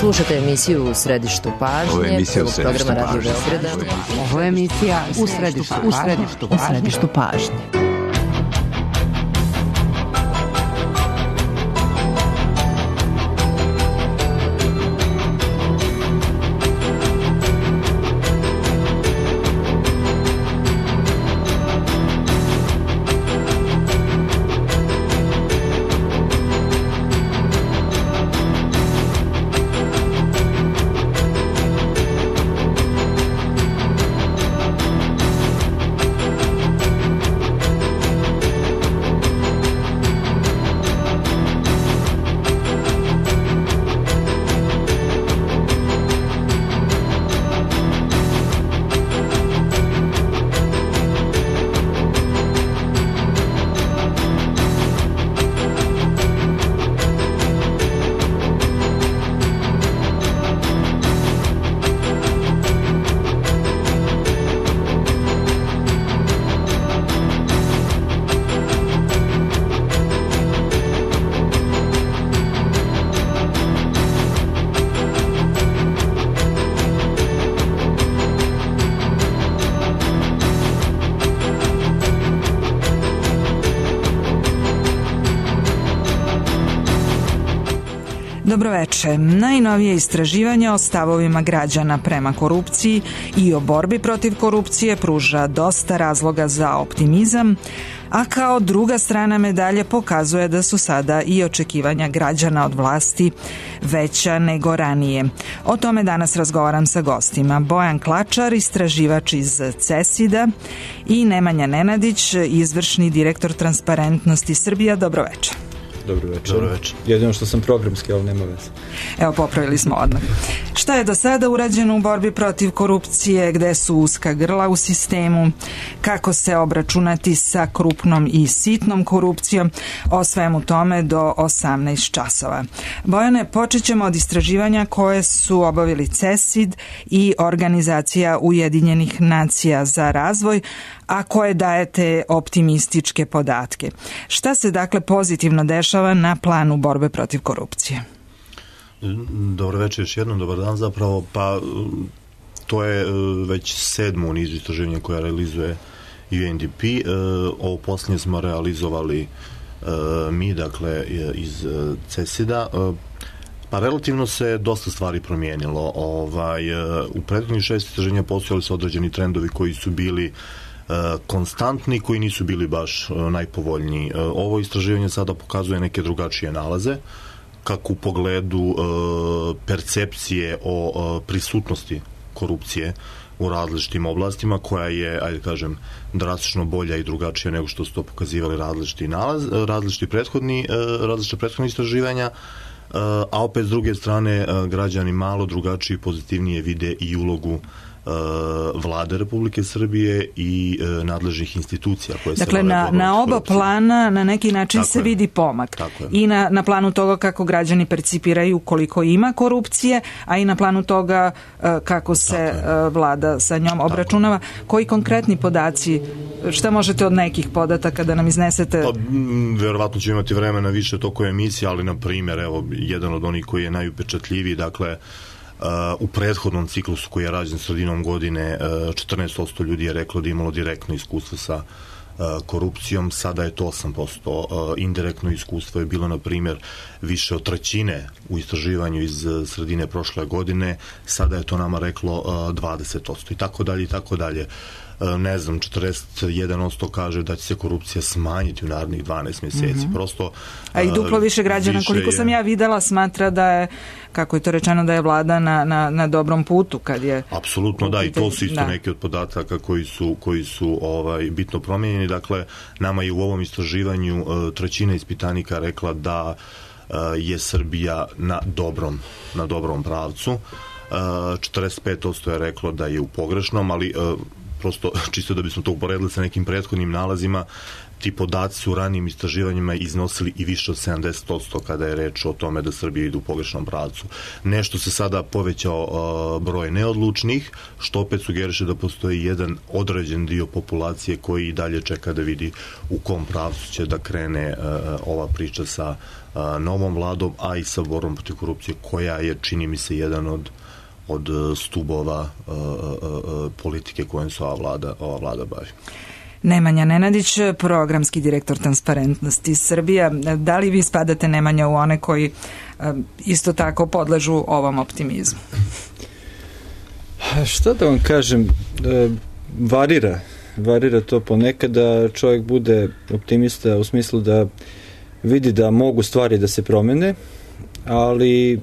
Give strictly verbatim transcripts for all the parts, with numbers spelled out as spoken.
Slušate emisiju U središtu pažnje. Ovo je emisija U središtu pažnje. Ovo je emisija U središtu pažnje. U središtu pažnje. Dobroveče. Najnovije istraživanje o stavovima građana prema korupciji i o borbi protiv korupcije pruža dosta razloga za optimizam, a kao druga strana medalje pokazuje da su sada i očekivanja građana od vlasti veća nego ranije. O tome danas razgovaram sa gostima. Bojan Klačar, istraživač iz CESID-a, i Nemanja Nenadić, izvršni direktor Transparentnosti Srbija. Dobroveče. Dobro večer. Dobro večer. Jedino što sam programski, ali nema veze. Evo, popravili smo odmah. Šta je do sada urađeno u borbi protiv korupcije, gde su uska grla u sistemu, kako se obračunati sa krupnom i sitnom korupcijom, o svemu tome do osamnaest časova. Bojane, počet ćemo od istraživanja koje su obavili CESID i Organizacija Ujedinjenih nacija za razvoj, a koje dajete optimističke podatke. Šta se dakle pozitivno dešava na planu borbe protiv korupcije? Dobro večer, još jednom, dobar dan zapravo. Pa to je već sedmo u nizu istraživanja koja realizuje U N D P. Ovo posljednje smo realizovali mi, dakle, iz CESID-a. Pa relativno se dosta stvari promijenilo. Ovaj, u prethodnih šest istraživanja postojali su određeni trendovi koji su bili konstantni, koji nisu bili baš najpovoljniji. Ovo istraživanje sada pokazuje neke drugačije nalaze, kako u pogledu percepcije o prisutnosti korupcije u različitim oblastima, koja je, ajde kažem, drastično bolja i drugačija nego što su to pokazivali različiti nalaz, različiti prethodni, različite prethodne istraživanja, a opet s druge strane građani malo drugačije i pozitivnije vide i ulogu Vlade Republike Srbije i nadležnih institucija koje se... Dakle, na, na oba plana na neki način tako se je. Vidi pomak. I na, na planu toga kako građani percipiraju koliko ima korupcije, a i na planu toga kako se Vlada sa njom obračunava. Koji konkretni podaci, šta možete od nekih podataka da nam iznesete? Pa, verovatno ćemo imati vremena više toko emisije, ali na primjer, evo, jedan od onih koji je najupečatljiviji, dakle, Uh, u prethodnom ciklusu koji je rađen sredinom godine uh, četrnaest posto ljudi je reklo da je imalo direktno iskustvo sa uh, korupcijom, sada je to osam posto. Uh, indirektno iskustvo je bilo, na primjer, više od trećine u istraživanju iz uh, sredine prošle godine, sada je to nama reklo uh, dvadeset posto i tako dalje i tako dalje. Ne znam, četrdeset jedan posto kaže da će se korupcija smanjiti u narednih dvanaest mjeseci. Mm-hmm. Prosto, a i duplo više građana, više koliko je... sam ja videla, smatra da je, kako je to rečeno, da je Vlada na, na, na dobrom putu kad je... Apsolutno, da, i to su isto da. Neki od podataka koji su, koji su ovaj, bitno promijenjeni. Dakle, nama je u ovom istraživanju trećina ispitanika rekla da je Srbija na dobrom, na dobrom pravcu. četrdeset pet posto je reklo da je u pogrešnom, ali prosto čisto da bismo to uporedili sa nekim prethodnim nalazima, ti podaci su u ranijim istraživanjima iznosili i više od sedamdeset posto kada je reč o tome da Srbija ide u pogrešnom pravcu. Nešto se sada povećao uh, broj neodlučnih, što opet sugeriše da postoji jedan određen dio populacije koji i dalje čeka da vidi u kom pravcu će da krene uh, ova priča sa uh, novom vladom, a i sa borbom protiv korupcije, koja je, čini mi se, jedan od od stubova uh, uh, politike kojom se ova vlada, ova vlada bavi. Nemanja Nenadić, programski direktor Transparentnosti Srbija. Da li vi spadate, Nemanja, u one koji uh, isto tako podležu ovom optimizmu? Šta da vam kažem, e, varira. Varira to ponekad da čovjek bude optimista u smislu da vidi da mogu stvari da se promene, ali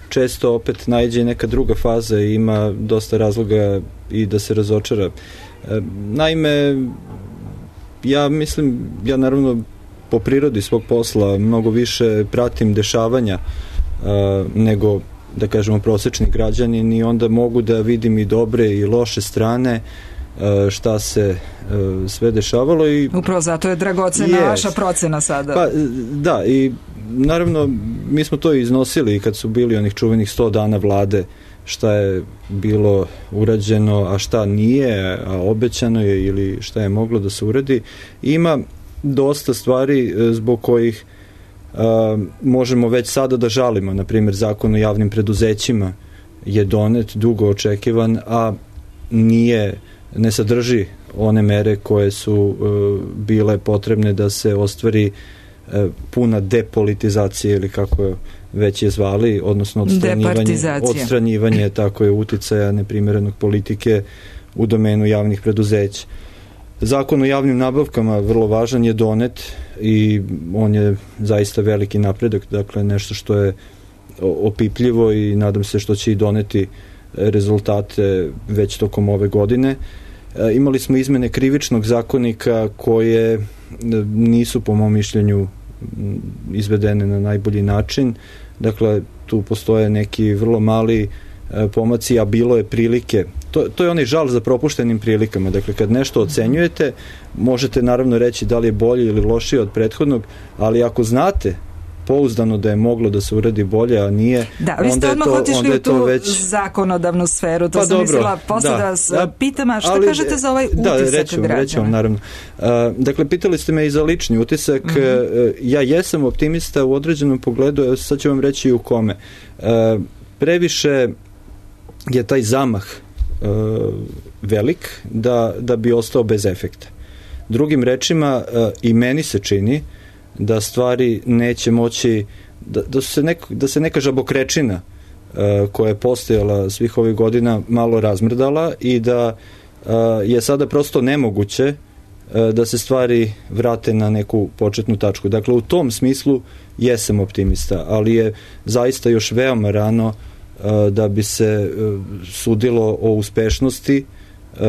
često opet naiđe neka druga faza i ima dosta razloga i da se razočara. Naime, ja mislim, ja naravno po prirodi svog posla mnogo više pratim dešavanja a, nego, da kažemo, prosečni građanin, i onda mogu da vidim i dobre i loše strane a, šta se a, sve dešavalo. I upravo zato je dragocena yes. vaša procena sada. Pa, da, i naravno mi smo to iznosili kad su bili onih čuvenih sto dana vlade, šta je bilo urađeno, a šta nije, a obećano je ili šta je moglo da se uradi. Ima dosta stvari zbog kojih a, možemo već sada da žalimo. Na primjer, zakon o javnim preduzećima je donet, dugo očekivan, a nije, ne sadrži one mere koje su a, bile potrebne da se ostvari a, puna depolitizacija, ili kako je već je zvali, odnosno odstranjivanje, odstranjivanje tako je uticaja neprimjerenog politike u domenu javnih preduzeća. Zakon o javnim nabavkama, vrlo važan, je donet i on je zaista veliki napredak, dakle nešto što je opipljivo i nadam se što će i doneti rezultate već tokom ove godine. E, imali smo izmene krivičnog zakonika koje nisu, po mom mišljenju, izvedene na najbolji način. Dakle, tu postoje neki vrlo mali e, pomaci, a bilo je prilike. To, to je onaj žal za propuštenim prilikama. Dakle, kad nešto ocenjujete, možete naravno reći da li je bolje ili lošije od prethodnog, ali ako znate pouzdano da je moglo da se uradi bolje, a nije, da, vi ste odmah otišli u tu već zakonodavnu sferu, to pa sam dobro, mislila posle da, da vas da, pitam, a šta ali, kažete za ovaj utisak da, rećemo, građana? Rećemo, naravno. Uh, dakle, pitali ste me i za lični utisak. Mm-hmm. uh, ja jesam optimista u određenom pogledu, sad ću vam reći i u kome. Uh, previše je taj zamah uh, velik da, da bi ostao bez efekta. Drugim rečima, uh, i meni se čini da stvari neće moći, da, da, se, neko, da se neka žabokrečina uh, koja je postojala svih ovih godina malo razmrdala i da uh, je sada prosto nemoguće uh, da se stvari vrate na neku početnu tačku. Dakle, u tom smislu jesam optimista, ali je zaista još veoma rano uh, da bi se uh, sudilo o uspešnosti uh,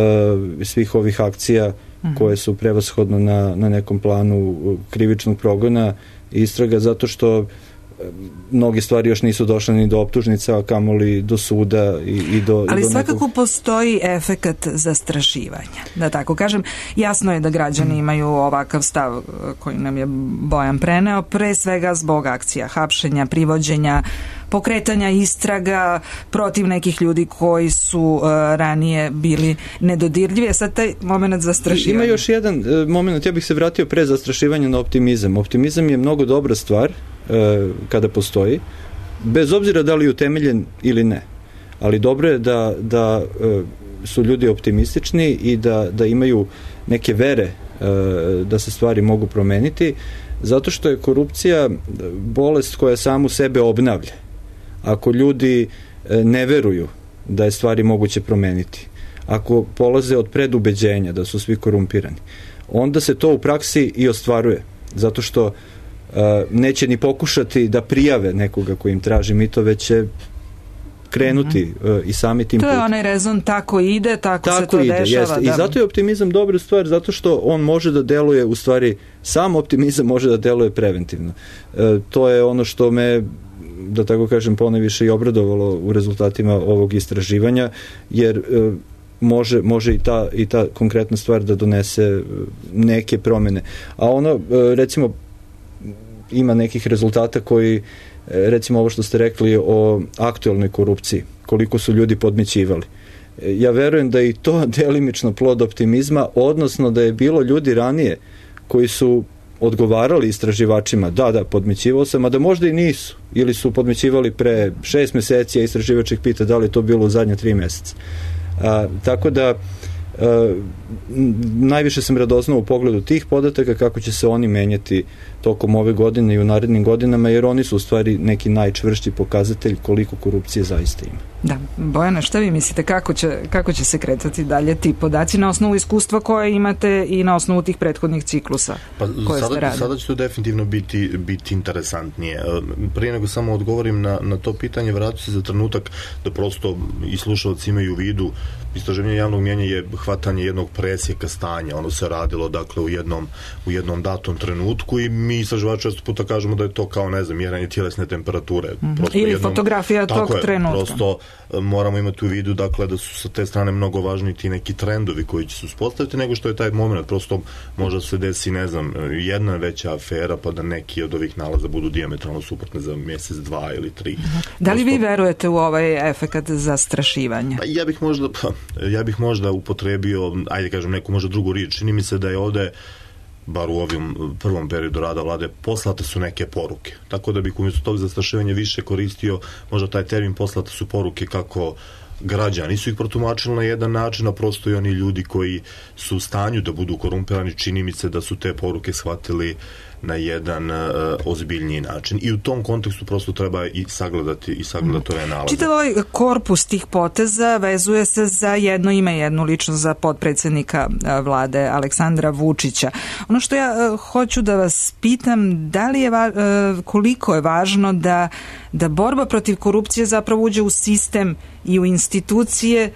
svih ovih akcija koje su prevashodno na, na nekom planu krivičnog progona i istraga, zato što mnoge stvari još nisu došle ni do optužnica, a kamoli do suda i, i do... Ali i do svakako nekog... postoji efekat zastrašivanja, da tako kažem. Jasno je da građani imaju ovakav stav koji nam je Bojan preneo, pre svega zbog akcija hapšenja, privođenja, pokretanja istraga protiv nekih ljudi koji su uh, ranije bili nedodirljivi, a sad taj moment zastrašivanja. Ima još jedan uh, moment, ja bih se vratio pre zastrašivanja na optimizam. Optimizam je mnogo dobra stvar uh, kada postoji, bez obzira da li je utemeljen ili ne. Ali dobro je da, da uh, su ljudi optimistični i da, da imaju neke vere uh, da se stvari mogu promeniti, zato što je korupcija bolest koja samu sebe obnavlja. Ako ljudi ne veruju da je stvari moguće promeniti, ako polaze od predubeđenja da su svi korumpirani, onda se to u praksi i ostvaruje, zato što uh, neće ni pokušati da prijave nekoga koji im traži mito, već će krenuti mm-hmm. uh, i sami tim putem. To je onaj rezon, tako ide, tako, tako se to ide, dešava. Da. I zato je optimizam dobra stvar, zato što on može da deluje, u stvari, sam optimizam može da deluje preventivno. Uh, to je ono što me, da tako kažem, ponajviše i obradovalo u rezultatima ovog istraživanja, jer e, može, može i, ta, i ta konkretna stvar da donese neke promene. A ono, recimo, ima nekih rezultata koji, recimo ovo što ste rekli o aktuelnoj korupciji, koliko su ljudi podmićivali. Ja verujem da je i to delimično plod optimizma, odnosno da je bilo ljudi ranije koji su odgovarali istraživačima, da, da, podmićivao sam, a da možda i nisu, ili su podmićivali pre šest meseci, a istraživač ih pita da li je to bilo u zadnje tri meseca. A, tako da a, najviše sam radoznao u pogledu tih podataka kako će se oni menjati tokom ove godine i u narednim godinama, jer oni su u stvari neki najčvršći pokazatelj koliko korupcije zaista ima. Da, Bojana, šta vi mislite, kako će, kako će se kretati dalje ti podaci na osnovu iskustva koje imate i na osnovu tih prethodnih ciklusa pa, koje sada, ste radili? Sada će to definitivno biti, biti interesantnije. Prije nego samo odgovorim na, na to pitanje, vraću se za trenutak da prosto i slušalci imaju u vidu, istraživanje javnog mnijenja je hvatanje jednog presjeka stanja, ono se radilo dakle u jednom, u jednom datom trenutku i mi istraživači često puta kažemo da je to kao, ne znam, mjeranje tjelesne temperature. Mm-hmm. Ili jednom, fotografija tog je, trenutka. Prosto moramo imati u vidu dakle da su sa te strane mnogo važniji ti neki trendovi koji će se uspostaviti nego što je taj moment. Prosto možda se desi, ne znam, jedna veća afera pa da neki od ovih nalaza budu dijametralno suprotne za mjesec, dva ili tri. Mm-hmm. Da li Prosto, vi verujete u ovaj efekat zastrašivanja? Pa ja bih možda pa, ja bih možda upotrebio, ajde kažem, neku možda drugu riječ. Čini mi se da je ovde, bar u ovom prvom periodu rada vlade, poslate su neke poruke. Tako da bih umjesto tog zastrašivanja više koristio možda taj termin poslate su poruke kako građani su ih protumačili na jedan način, a prosto i oni ljudi koji su u stanju da budu korumpirani, čini mi se da su te poruke shvatili na jedan uh, ozbiljniji način. I u tom kontekstu prosto treba i sagledati i sagledati ove nalaze. Čitav ovaj korpus tih poteza vezuje se za jedno ime, jednu ličnost, za potpredsjednika vlade Aleksandra Vučića. Ono što ja uh, hoću da vas pitam, da li je va, uh, koliko je važno da, da borba protiv korupcije zapravo uđe u sistem i u institucije, uh,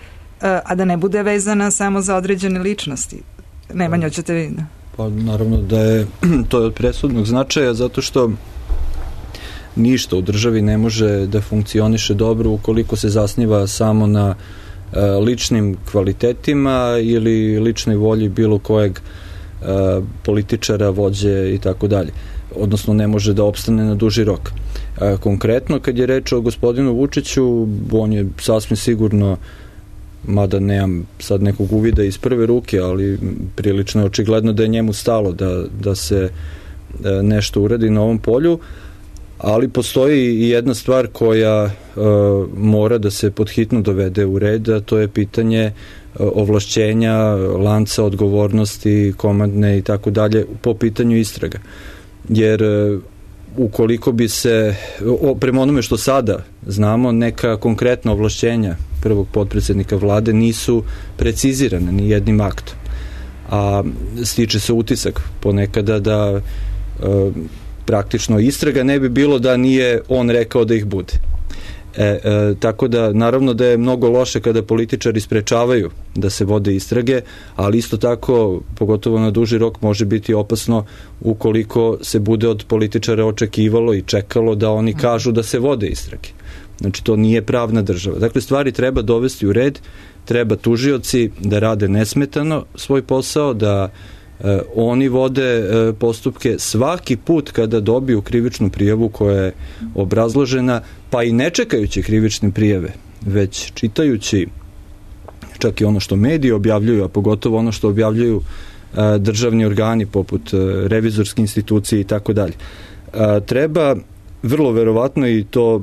a da ne bude vezana samo za određene ličnosti. Nemanja, hoćete vi? Pa naravno da je to je od presudnog značaja, zato što ništa u državi ne može da funkcioniše dobro ukoliko se zasniva samo na e, ličnim kvalitetima ili ličnoj volji bilo kojeg e, političara, vođe i tako dalje. Odnosno ne može da opstane na duži rok. E, konkretno, kad je reč o gospodinu Vučiću, on je sasvim sigurno, mada nemam sad nekog uvida iz prve ruke, ali prilično je očigledno da je njemu stalo da, da se nešto uradi na ovom polju, ali postoji i jedna stvar koja uh, mora da se podhitno dovede u red, a to je pitanje uh, ovlašćenja, lanca odgovornosti, komandne i tako dalje po pitanju istraga. Jer uh, ukoliko bi se, o, prema onome što sada znamo, neka konkretna ovlašćenja prvog potpredsjednika vlade nisu precizirane ni jednim aktom. A stiče se utisak ponekada da e, praktično istraga ne bi bilo da nije on rekao da ih bude. E, e, tako da naravno da je mnogo loše kada političari sprečavaju da se vode istrage, ali isto tako, pogotovo na duži rok, može biti opasno ukoliko se bude od političara očekivalo i čekalo da oni kažu da se vode istrage. Znači, to nije pravna država. Dakle, stvari treba dovesti u red, treba tužioci da rade nesmetano svoj posao, da e, oni vode e, postupke svaki put kada dobiju krivičnu prijavu koja je obrazložena, pa i ne čekajući krivične prijave, već čitajući čak i ono što mediji objavljuju, a pogotovo ono što objavljuju e, državni organi poput e, revizorske institucije i tako dalje. Treba vrlo verovatno, i to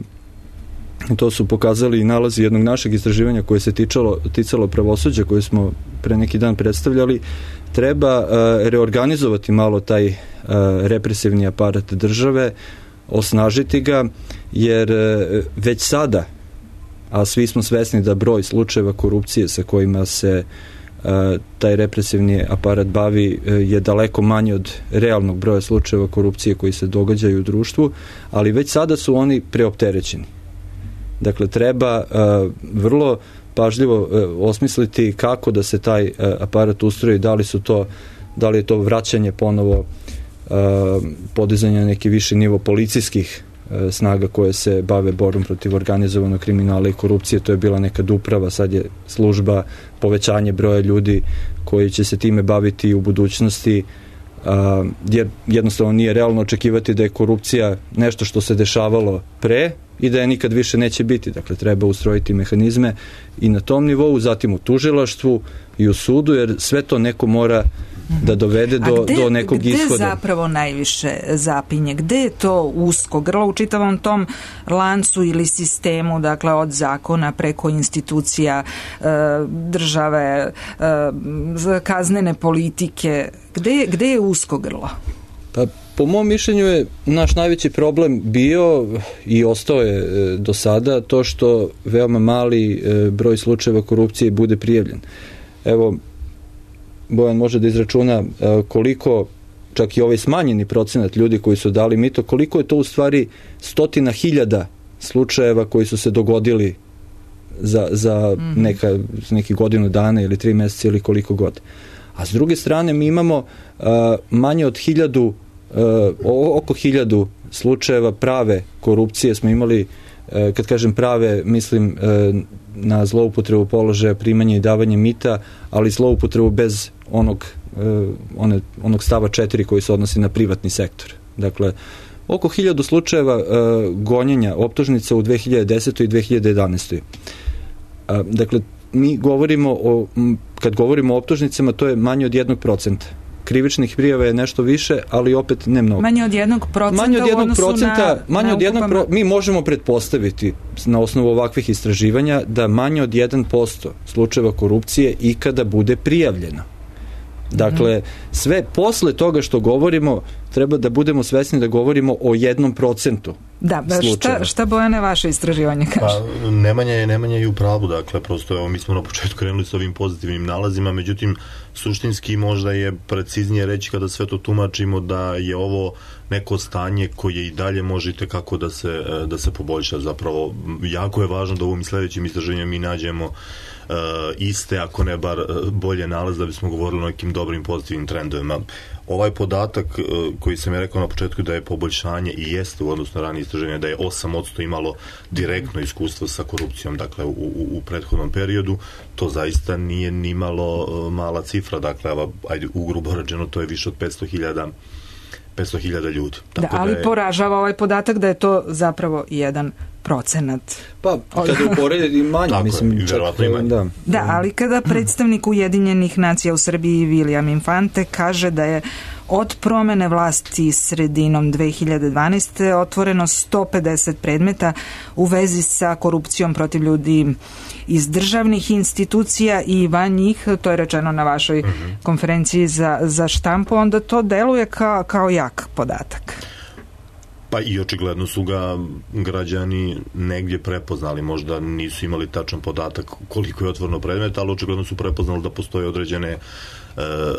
to su pokazali i nalazi jednog našeg istraživanja koje se ticalo, ticalo pravosuđa koje smo pre neki dan predstavljali, treba uh, reorganizovati malo taj uh, represivni aparat države, osnažiti ga, jer uh, već sada, a svi smo svesni da broj slučajeva korupcije sa kojima se uh, taj represivni aparat bavi uh, je daleko manje od realnog broja slučajeva korupcije koji se događaju u društvu, ali već sada su oni preopterećeni. Dakle, treba uh, vrlo pažljivo uh, osmisliti kako da se taj uh, aparat ustroji, da li su to, da li je to vraćanje ponovo uh, podizanja na neki viši nivo policijskih snaga koje se bave borbom protiv organizovanog kriminala i korupcije. To je bila nekad uprava, sad je služba, povećanje broja ljudi koji će se time baviti u budućnosti, a, jer jednostavno nije realno očekivati da je korupcija nešto što se dešavalo pre i da je nikad više neće biti. Dakle, treba ustrojiti mehanizme i na tom nivou, zatim u tužilaštvu i u sudu, jer sve to neko mora da dovede do, gde, do nekog gde ishoda. Gde zapravo najviše zapinje? Gde je to usko grlo u čitavom tom lancu ili sistemu, dakle od zakona preko institucija e, države, e, kaznene politike? Gde, gde je usko grlo? Pa, po mom mišljenju je naš najveći problem bio i ostao je e, do sada to što veoma mali e, broj slučajeva korupcije bude prijavljen. Evo, Bojan može da izračuna koliko, čak i ovaj smanjeni procenat ljudi koji su dali mito, koliko je to u stvari stotina hiljada slučajeva koji su se dogodili za, za neka, neki godinu dana ili tri meseca ili koliko god. A s druge strane mi imamo uh, manje od hiljadu, uh, oko hiljadu slučajeva prave korupcije smo imali. Kad kažem prave, mislim na zloupotrebu položaja, primanje i davanje mita, ali zloupotrebu bez onog, one, onog stava četiri koji se odnosi na privatni sektor. Dakle, oko hiljadu slučajeva gonjenja optužnica u dve hiljade desetoj i dve hiljade jedanaestoj. Dakle, mi govorimo o, kad govorimo o optužnicama, to je manje od jednog procenta. Krivičnih prijava je nešto više, ali opet ne mnogo. Manje od jednog procenta manje od jednog u odnosu procenta, na, manje na od jednog pro, mi možemo pretpostaviti na osnovu ovakvih istraživanja da manje od jedan posto slučajeva korupcije ikada bude prijavljeno. Dakle, sve posle toga što govorimo, treba da budemo svesni da govorimo o jednom procentu. Da, šta, šta Bojane vaše istraživanje kaže? Pa, Nemanja je, Nemanja je u pravu, dakle, prosto evo, mi smo na početku krenuli s ovim pozitivnim nalazima, međutim, suštinski možda je preciznije reći kada sve to tumačimo da je ovo neko stanje koje i dalje možete kako da se, da se poboljša. Zapravo, jako je važno da u ovim sledećim istraživanjima mi nađemo uh, iste, ako ne bar bolje nalaz da bismo govorili o nekim dobrim pozitivnim trendovima. Ovaj podatak uh, koji sam je rekao na početku da je poboljšanje i jeste u odnosu na ranije istraživanje, da je osam posto imalo direktno iskustvo sa korupcijom, dakle u, u, u prethodnom periodu, to zaista nije ni malo uh, mala cifra, dakle, ajde, ugrubo rečeno, to je više od petsto hiljada petsto hiljada ljudi. Da, ali da je... poražava ovaj podatak da je to zapravo jedan procenat. Pa, kada uporedi i manje, tako mislim, je, čak, i manje. Da. da, ali kada predstavnik Ujedinjenih nacija u Srbiji William Infante kaže da je od promene vlasti sredinom dve hiljade dvanaeste. otvoreno sto pedeset predmeta u vezi sa korupcijom protiv ljudi iz državnih institucija i van njih, to je rečeno na vašoj uh-huh. konferenciji za, za štampu, onda to deluje kao, kao jak podatak. Pa i očigledno su ga građani negdje prepoznali, možda nisu imali tačan podatak koliko je otvoreno predmeta, ali očigledno su prepoznali da postoje određene e,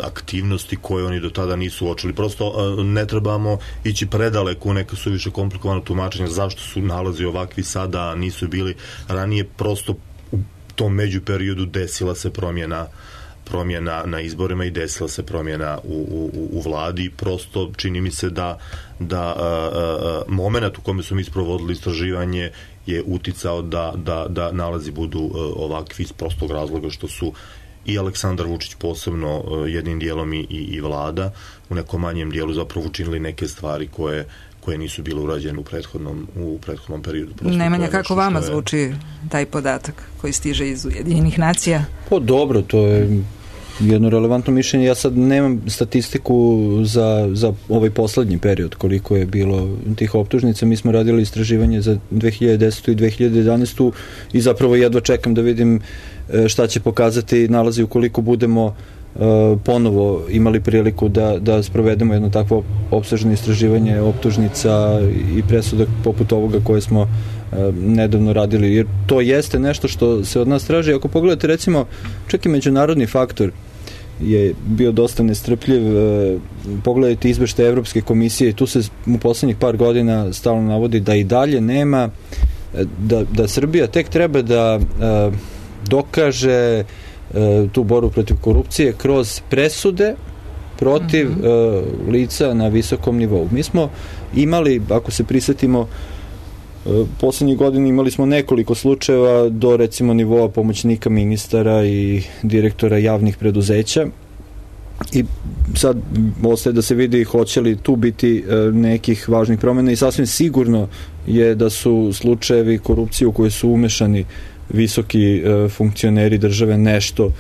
aktivnosti koje oni do tada nisu uočili. Prosto e, ne trebamo ići predaleko u neka suviše komplikovano tumačenja zašto su nalazi ovakvi sada, nisu bili ranije, prosto u tom međuperiodu desila se promjena promjena na izborima i desila se promjena u, u, u vladi. Prosto čini mi se da, da a, a, moment u kome su mi sprovodili istraživanje je uticao da, da, da nalazi budu a, ovakvi iz prostog razloga što su i Aleksandar Vučić posebno a, jednim dijelom i, i, i vlada u nekom manjem dijelu zapravo učinili neke stvari koje koje nisu bile urađene u prethodnom, u prethodnom periodu. Prosto Nemanja, kako vama je... zvuči taj podatak koji stiže iz Ujedinjenih nacija? Pa dobro, to je jedno relevantno mišljenje. Ja sad nemam statistiku za, za ovaj poslednji period, koliko je bilo tih optužnica. Mi smo radili istraživanje za dve hiljade desetu. i dve hiljade jedanaestu. i zapravo jedva čekam da vidim šta će pokazati nalazi ukoliko budemo ponovo imali priliku da, da sprovedemo jedno takvo opsežno istraživanje optužnica i presuda poput ovoga koje smo nedavno radili, jer to jeste nešto što se od nas traži. Ako pogledate, recimo, čak i međunarodni faktor je bio dosta nestrpljiv. Pogledajte izveštaje Evropske komisije i tu se u poslednjih par godina stalno navodi da i dalje nema, da, da Srbija tek treba da dokaže tu borbu protiv korupcije kroz presude protiv mm-hmm. uh, lica na visokom nivou. Mi smo imali, ako se prisjetimo, Poslednjih godina imali smo nekoliko slučajeva do recimo nivoa pomoćnika ministara i direktora javnih preduzeća i sad ostaje da se vidi hoće li tu biti nekih važnih promjena i sasvim sigurno je da su slučajevi korupcije u koje su umešani visoki funkcioneri države nešto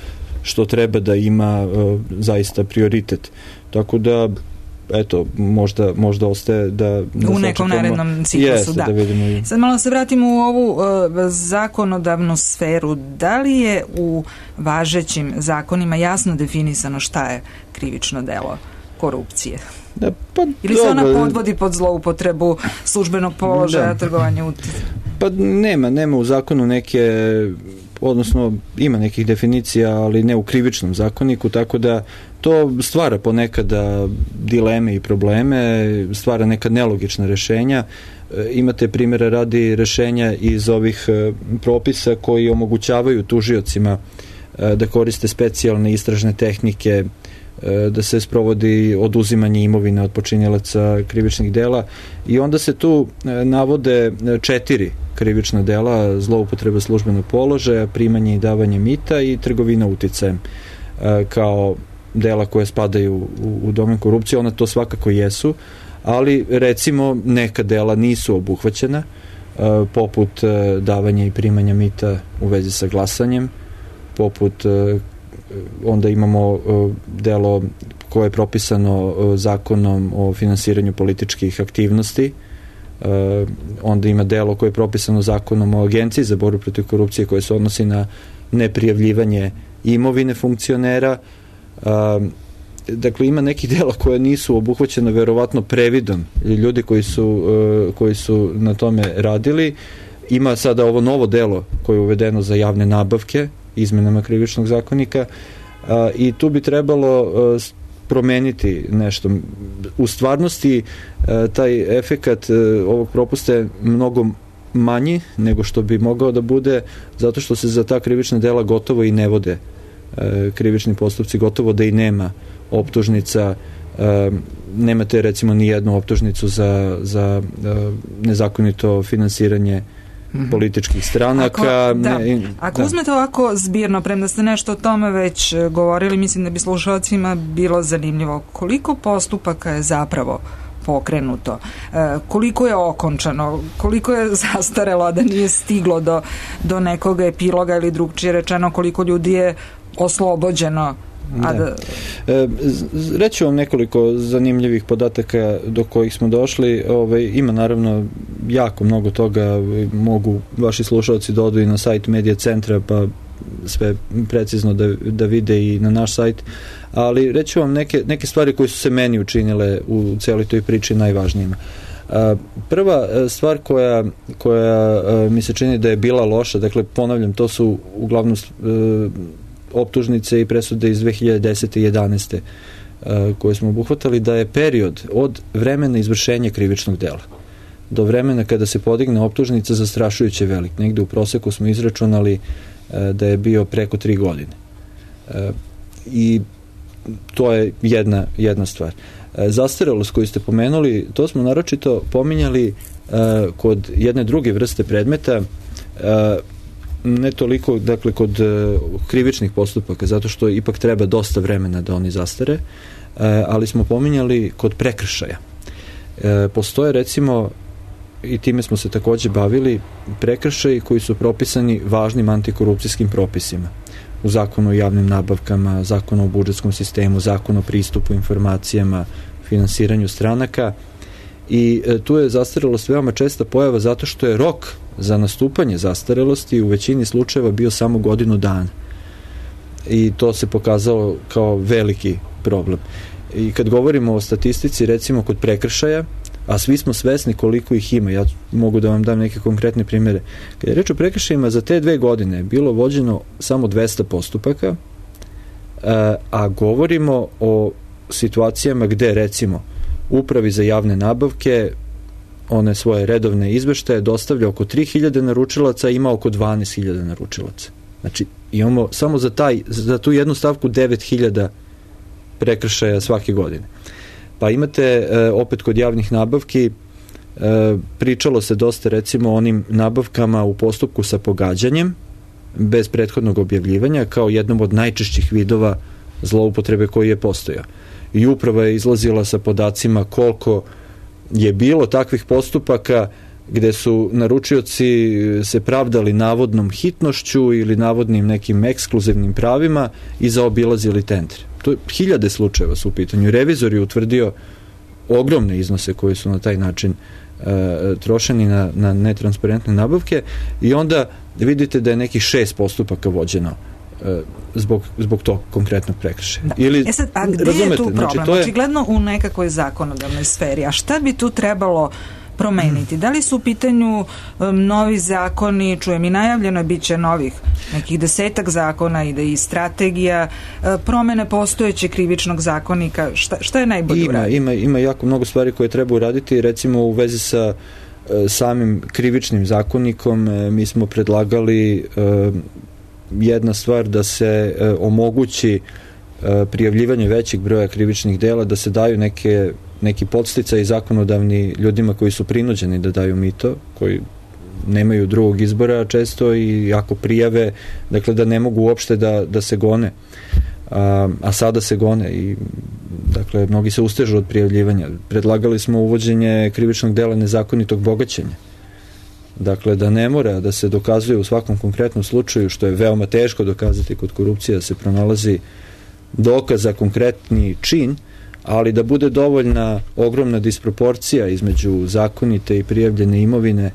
što treba da ima zaista prioritet. Tako da eto, možda, možda ostaje da... da u nekom narednom ciklusu, jeste, da. da vidimo i... Sad malo se vratimo u ovu uh, zakonodavnu sferu. Da li je u važećim zakonima jasno definisano šta je krivično delo korupcije? Da, pa, ili se ona dobro. podvodi pod zloupotrebu službenog položaja, trgovanje uticaja? Pa nema, nema u zakonu neke, odnosno ima nekih definicija, ali ne u krivičnom zakoniku, tako da to stvara ponekada dileme i probleme, stvara neka nelogična rešenja. Imate primjere radi rešenja iz ovih propisa koji omogućavaju tužiocima da koriste specijalne istražne tehnike, da se sprovodi oduzimanje imovine od počinjelaca krivičnih dela i onda se tu navode četiri krivična dela: zloupotreba službenog položaja, primanje i davanje mita i trgovina uticajem kao dela koje spadaju u, u domen korupcije. Ona to svakako jesu, ali recimo neka dela nisu obuhvaćena, poput davanja i primanja mita u vezi sa glasanjem, poput onda imamo delo koje je propisano zakonom o finansiranju političkih aktivnosti, onda ima delo koje je propisano zakonom o Agenciji za borbu protiv korupcije koje se odnosi na neprijavljivanje imovine funkcionera. Dakle, ima nekih dela koje nisu obuhvaćene verovatno previdom ljudi koji su, koji su na tome radili. Ima sada ovo novo delo koje je uvedeno za javne nabavke izmenama krivičnog zakonika a, i tu bi trebalo a, promeniti nešto. U stvarnosti a, taj efekat a, ovog propusta je mnogo manji nego što bi mogao da bude, zato što se za ta krivična dela gotovo i ne vode a, krivični postupci, gotovo da i nema optužnica. A, nemate recimo ni jednu optužnicu za, za a, nezakonito finansiranje političkih stranaka. Ako, da. Ne, Ako da. uzmete ovako zbirno, premda ste nešto o tome već govorili, mislim da bi slušalcima bilo zanimljivo koliko postupaka je zapravo pokrenuto, e, koliko je okončano, koliko je zastarelo da nije stiglo do, do nekog epiloga ili drugčije rečeno koliko ljudi je oslobođeno. A da... E, reću vam nekoliko zanimljivih podataka do kojih smo došli. Ove, ima naravno jako mnogo toga, mogu vaši slušalci da odu i na sajt Medija centra pa sve precizno da, da vide i na naš sajt, ali reću vam neke, neke stvari koje su se meni učinile u cijeloj toj priči najvažnijima. A, prva stvar koja, koja a, mi se čini da je bila loša, dakle ponavljam, to su uglavnom a, optužnice i presude iz dve hiljade desete i jedanaeste koje smo obuhvatali, da je period od vremena izvršenja krivičnog dela do vremena kada se podigne optužnica zastrašujuće velik. Negde u proseku smo izračunali da je bio preko tri godine. I to je jedna, jedna stvar. Zastarelost koju ste pomenuli, to smo naročito pominjali kod jedne druge vrste predmeta, ne toliko, dakle, kod uh, krivičnih postupaka, zato što ipak treba dosta vremena da oni zastare, uh, ali smo pominjali kod prekršaja. Uh, postoje, recimo, i time smo se takođe bavili, prekršaji koji su propisani važnim antikorupcijskim propisima. U zakonu o javnim nabavkama, zakonu o budžetskom sistemu, zakonu o pristupu informacijama, finansiranju stranaka, i e, tu je zastarelost veoma česta pojava zato što je rok za nastupanje zastarelosti u većini slučajeva bio samo godinu dana. I to se pokazalo kao veliki problem. I kad govorimo o statistici, recimo kod prekršaja, a svi smo svesni koliko ih ima, ja mogu da vam dam neke konkretne primjere. Kad je reč o prekršajima, za te dve godine je bilo vođeno samo dvesta postupaka, a govorimo o situacijama gde, recimo, Upravi za javne nabavke one svoje redovne izveštaje dostavlja oko tri hiljade naručilaca, ima oko dvanaest hiljada naručilaca. Znači, imamo samo za, taj, za tu jednu stavku devet hiljada prekršaja svake godine. Pa imate, opet kod javnih nabavki, pričalo se dosta recimo o onim nabavkama u postupku sa pogađanjem bez prethodnog objavljivanja kao jednom od najčešćih vidova zloupotrebe koji je postojao. I uprava je izlazila sa podacima koliko je bilo takvih postupaka gde su naručioci se pravdali navodnom hitnošću ili navodnim nekim ekskluzivnim pravima i zaobilazili tender. To je hiljade slučajeva su u pitanju. Revizor je utvrdio ogromne iznose koji su na taj način e, trošeni na, na netransparentne nabavke i onda vidite da je nekih šest postupaka vođeno e, zbog, zbog tog konkretnog prekršaja. Da. Ili, e sad, a gde razumete? Je tu problem? Znači, to je... Očigledno u nekakvoj zakonodavnoj sferi. A šta bi tu trebalo promeniti? Da li su u pitanju um, novi zakoni, čujem i najavljeno je bit će novih nekih desetak zakona i da i strategija uh, promene postojećeg krivičnog zakonika, šta, šta je najbolje uraditi? Ima, ima jako mnogo stvari koje treba uraditi, recimo u vezi sa uh, samim krivičnim zakonikom uh, mi smo predlagali uh, jedna stvar da se uh, omogući uh, prijavljivanje većeg broja krivičnih dela, da se daju neke neki podsticaj zakonodavni ljudima koji su prinuđeni da daju mito, koji nemaju drugog izbora često i ako prijave, dakle da ne mogu uopšte da, da se gone. A, a sada se gone i dakle mnogi se ustežu od prijavljivanja. Predlagali smo uvođenje krivičnog dela nezakonitog bogaćenja. Dakle, da ne mora da se dokazuje u svakom konkretnom slučaju, što je veoma teško dokazati kod korupcije, da se pronalazi dokaz za konkretni čin, ali da bude dovoljna ogromna disproporcija između zakonite i prijavljene imovine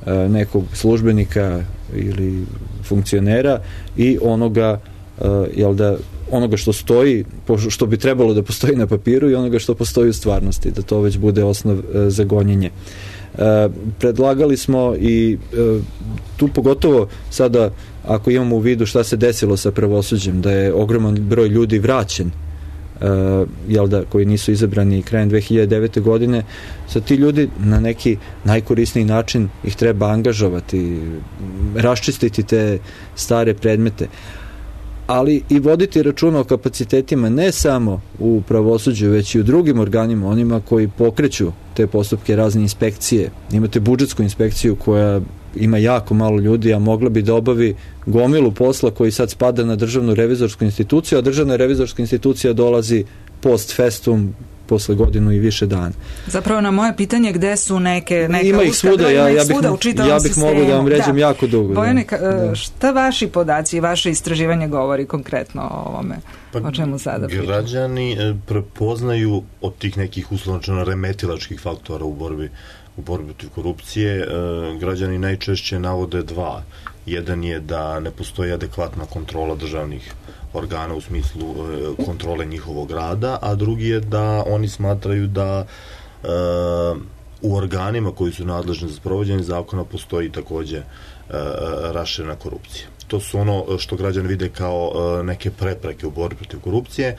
e, nekog službenika ili funkcionera i onoga e, jel da, onoga što stoji, što bi trebalo da postoji na papiru i onoga što postoji u stvarnosti, da to već bude osnov e, za gonjenje. E, predlagali smo i e, tu pogotovo sada ako imamo u vidu šta se desilo sa pravosuđem, da je ogroman broj ljudi vraćen Uh, jel da, koji nisu izabrani krajem dve hiljade devete. godine, sa ti ljudi na neki najkorisniji način ih treba angažovati, raščistiti te stare predmete, ali i voditi računa o kapacitetima ne samo u pravosuđu, već i u drugim organima, onima koji pokreću te postupke, razne inspekcije. Imate budžetsku inspekciju koja ima jako malo ljudi, a mogla bi da obavi gomilu posla koji sad spada na državnu revizorsku instituciju, a državna revizorska institucija dolazi post festum posle godinu i više dana. Zapravo na moje pitanje gde su neke neka ima ih svuda, ja, ja bih, ja bih mogao da vam ređem da. jako dugo. Bojane, da. šta vaši podaci i vaše istraživanje govori konkretno o ovome? Pa, o čemu sada pričamo? Građani prepoznaju od tih nekih uslovno remetilačkih faktora u borbi u borbi protiv korupcije, e, građani najčešće navode dva. Jedan je da ne postoji adekvatna kontrola državnih organa u smislu e, kontrole njihovog rada, a drugi je da oni smatraju da e, u organima koji su nadležni za sprovođenje zakona postoji takođe e, raširena korupcija. To su ono što građani vide kao e, neke prepreke u borbi protiv korupcije,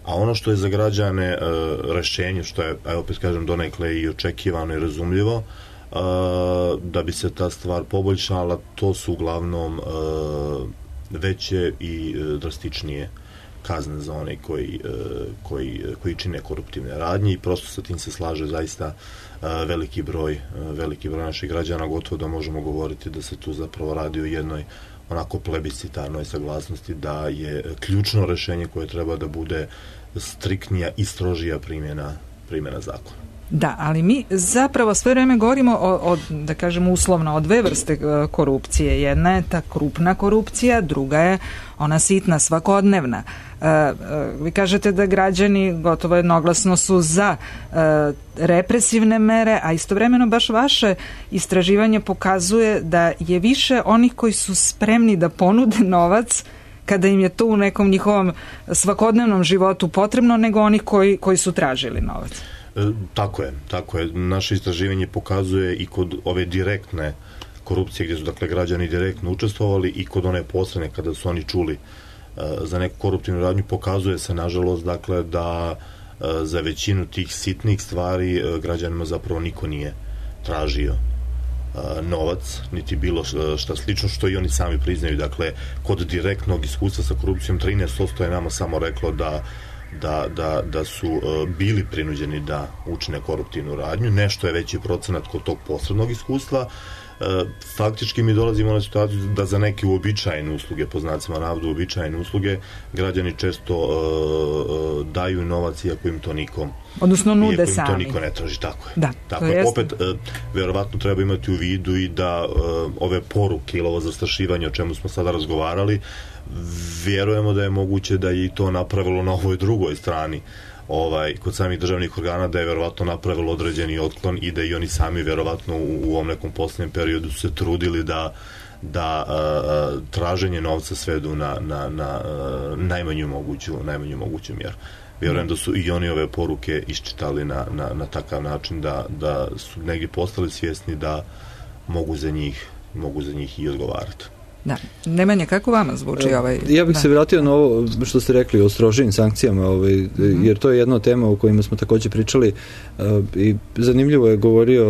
a ono što je za građane e, rešenje, što je, evo opet kažem, donekle i očekivano i razumljivo, e, da bi se ta stvar poboljšala, to su uglavnom e, veće i e, drastičnije kazne za one koji, e, koji, koji čine koruptivne radnje i prosto sa tim se slaže zaista e, veliki broj, e, veliki broj naših građana, gotovo da možemo govoriti da se tu zapravo radi o jednoj onako plebiscitarnoj saglasnosti da je ključno rešenje koje treba da bude striktnija i strožija primjena, primjena zakona. Da, ali mi zapravo sve vreme govorimo o, o, da kažemo uslovno, o dve vrste korupcije. Jedna je ta krupna korupcija, druga je ona sitna, svakodnevna. E, e, vi kažete da građani gotovo jednoglasno su za e, represivne mere, a istovremeno baš vaše istraživanje pokazuje da je više onih koji su spremni da ponude novac kada im je to u nekom njihovom svakodnevnom životu potrebno, nego onih koji, koji su tražili novac. E, tako je, tako je. Naše istraživanje pokazuje i kod ove direktne korupcije gdje su dakle građani direktno učestvovali i kod one posredne kada su oni čuli e, za neku koruptivnu radnju, pokazuje se nažalost dakle da e, za većinu tih sitnih stvari e, građanima zapravo niko nije tražio novac, niti bilo šta slično, što i oni sami priznaju. Dakle, kod direktnog iskustva sa korupcijom trinaest posto je nama samo reklo da da, da, da su uh, bili prinuđeni da učine koruptivnu radnju, nešto je veći procenat kod tog posrednog iskustva. Uh, faktički mi dolazimo na situaciju da za neke uobičajene usluge, po znacima navoda uobičajene usluge, građani često uh, uh, daju novac iako im to nikom odnosno nude sami. To niko ne traži, tako je. Da, tako je. Opet, uh, verovatno treba imati u vidu i da uh, ove poruke ili ovo zastrašivanje o čemu smo sada razgovarali, vjerujemo da je moguće da je i to napravilo na ovoj drugoj strani, ovaj, kod samih državnih organa, da je verovatno napravilo određeni otklon i da i oni sami verovatno u, u ovom nekom posljednjem periodu su se trudili da, da a, traženje novca svedu na, na, na a, najmanju moguću, najmanju moguću mjeru. Vjerujem da su i oni ove poruke iščitali na, na, na takav način da, da su negdje postali svjesni da mogu za njih, mogu za njih i odgovarati. Da. Nemanja, kako vama zvuči ovaj... Ja bih da. se vratio na ovo što ste rekli o strožijim sankcijama, ovaj, mm-hmm. jer to je jedna tema o kojima smo također pričali uh, i zanimljivo je govorio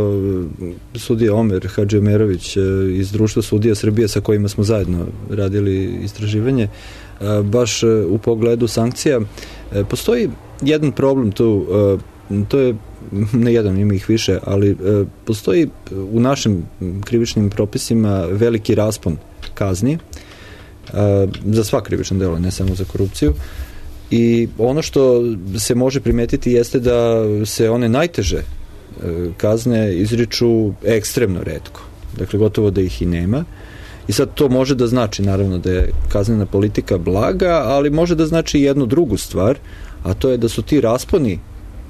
sudija Omer Hadžiomerović uh, iz Društva sudija Srbije sa kojima smo zajedno radili istraživanje, uh, baš uh, u pogledu sankcija. Uh, postoji jedan problem tu, uh, to je ne jedan, ima ih više, ali uh, postoji u našim krivičnim propisima veliki raspon kazni uh, za sva krivična dela, ne samo za korupciju, i ono što se može primetiti jeste da se one najteže uh, kazne izriču ekstremno retko, dakle gotovo da ih i nema, i sad to može da znači naravno da je kaznena politika blaga, ali može da znači jednu drugu stvar, a to je da su ti rasponi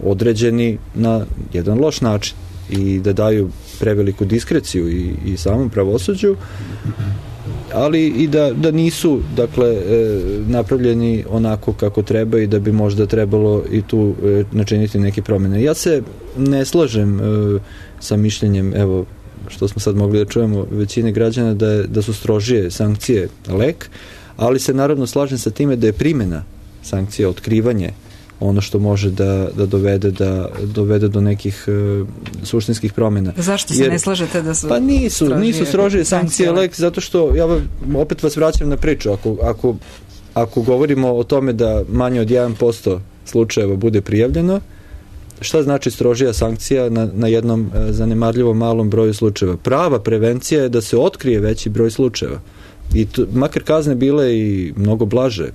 određeni na jedan loš način i da daju preveliku diskreciju i, i samom pravosuđu, ali i da, da nisu dakle e, napravljeni onako kako treba i da bi možda trebalo i tu e, načiniti neke promjene. Ja se ne slažem e, sa mišljenjem, evo što smo sad mogli da čujemo većine građana, da, je, da su strožije sankcije lek, ali se naravno slažem sa time da je primjena sankcija, otkrivanje, ono što može da, da dovede da dovede do nekih uh, suštinskih promjena. Zašto se Jer, ne slažete da su pa nisu, strožije, nisu strožije sankcije lek, zato što ja opet vas vraćam na priču. Ako, ako, ako govorimo o tome da manje od jedan posto slučajeva bude prijavljeno, šta znači strožija sankcija na, na jednom uh, zanemarljivom malom broju slučajeva? Prava prevencija je da se otkrije veći broj slučajeva. I to, makar kazne bile i mnogo blaže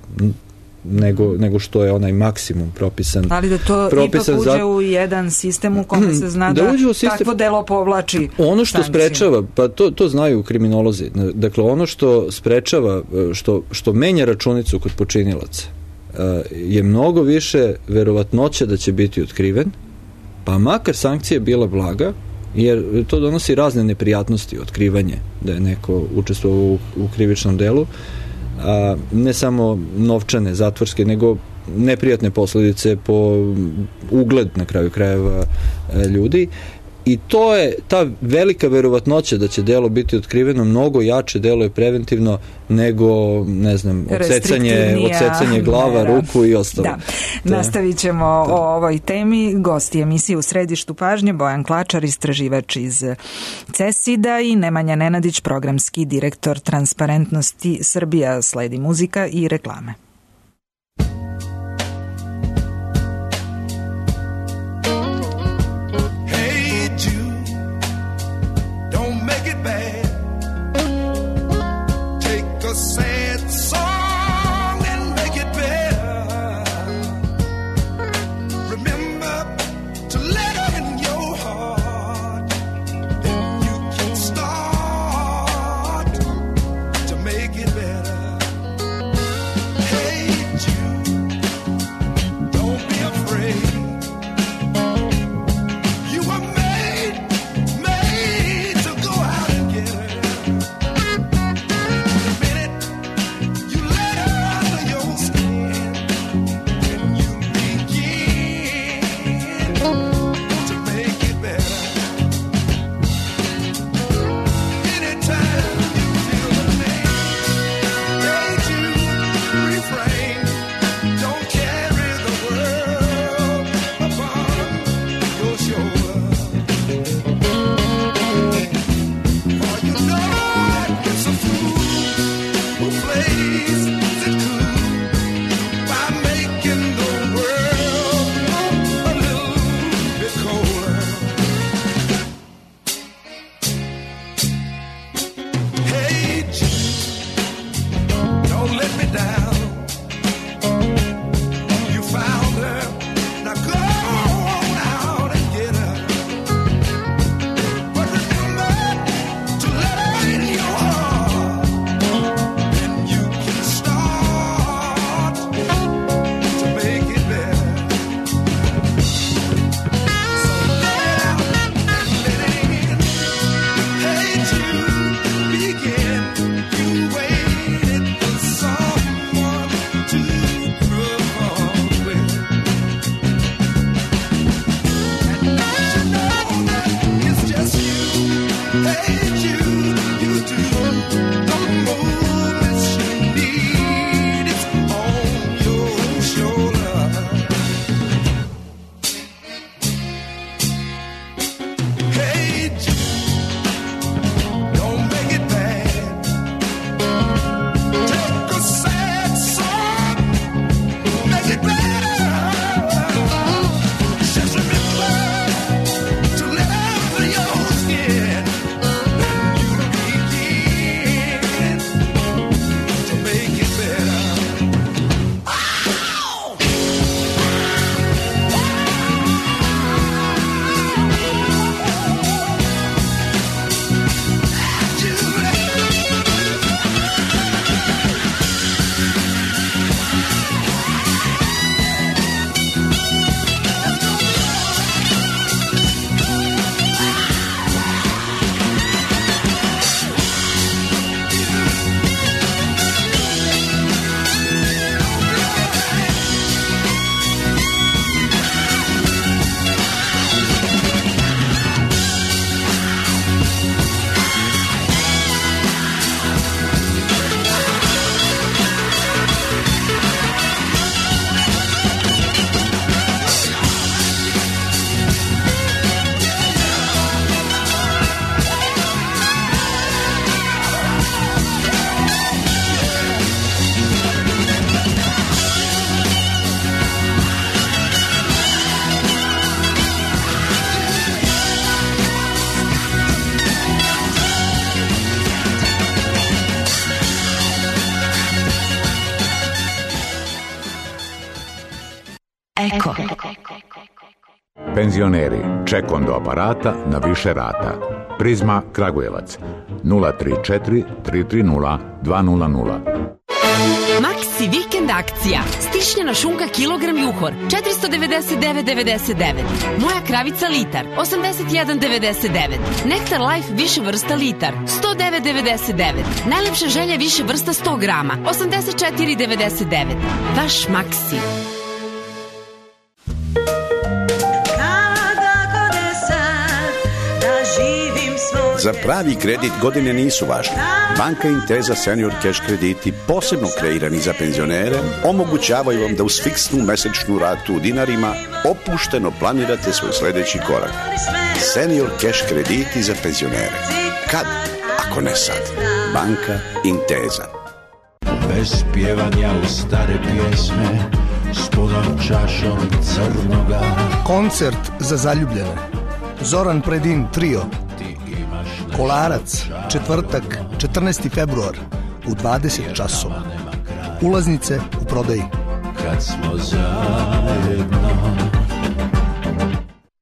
nego, nego što je onaj maksimum propisan. Ali da to propisan ipak uđe za... u jedan sistem u kome se zna da, da sistem... takvo delo povlači ono što sankciju. Sprečava, pa to, to znaju kriminolozi, dakle ono što sprečava, što, što menja računicu kod počinilaca je mnogo više verovatnoća da će biti otkriven, pa makar sankcija bila blaga, jer to donosi razne neprijatnosti, otkrivanje da je neko učestvovao u, u krivičnom delu, a ne samo novčane, zatvorske, nego neprijatne posljedice po ugled na kraju krajeva ljudi, i to je ta velika verovatnoća da će delo biti otkriveno mnogo jače deluje preventivno nego, ne znam, odsecanje, odsecanje glava, mera. Ruku i ostalo. Da. Da. Nastavit ćemo da. o ovoj temi. Gosti emisije U središtu pažnje Bojan Klačar, istraživač iz CESID-a, i Nemanja Nenadić, programski direktor Transparentnosti Srbija. Sledi muzika i reklame. Hey, Eko. Penzioneri, ček do aparata na više rata. Prizma Kragujevac nula tri četiri tri tri nula dva nula nula. Maxi vikend akcija. Stišljena šunka kilogram juhor četiristo devedeset devet devedeset devet. Moja kravica litar osamdeset jedan devedeset devet. Nektar Life više vrsta litar sto devet devedeset devet. Najlepša želja više vrsta sto grama osamdeset četiri devedeset devet. Vaš Maxi. Za pravi kredit godine nisu važne. Banka Intesa Senior Cash krediti, posebno kreirani za penzionere, omogućavaju vam da uz fiksnu mesečnu ratu u dinarima opušteno planirate svoj sledeći korak. Senior Cash krediti za penzionere. Kad, ako ne sad? Banka Intesa. Bez pjevanja u stare pjesme, s punom čašom crnoga. Koncert za zaljubljene. Zoran Predin trio. Kolarac, četvrtak, četrnaesti februar u dvadeset časova. Ulaznice u prodaji. Kad smo zajedno.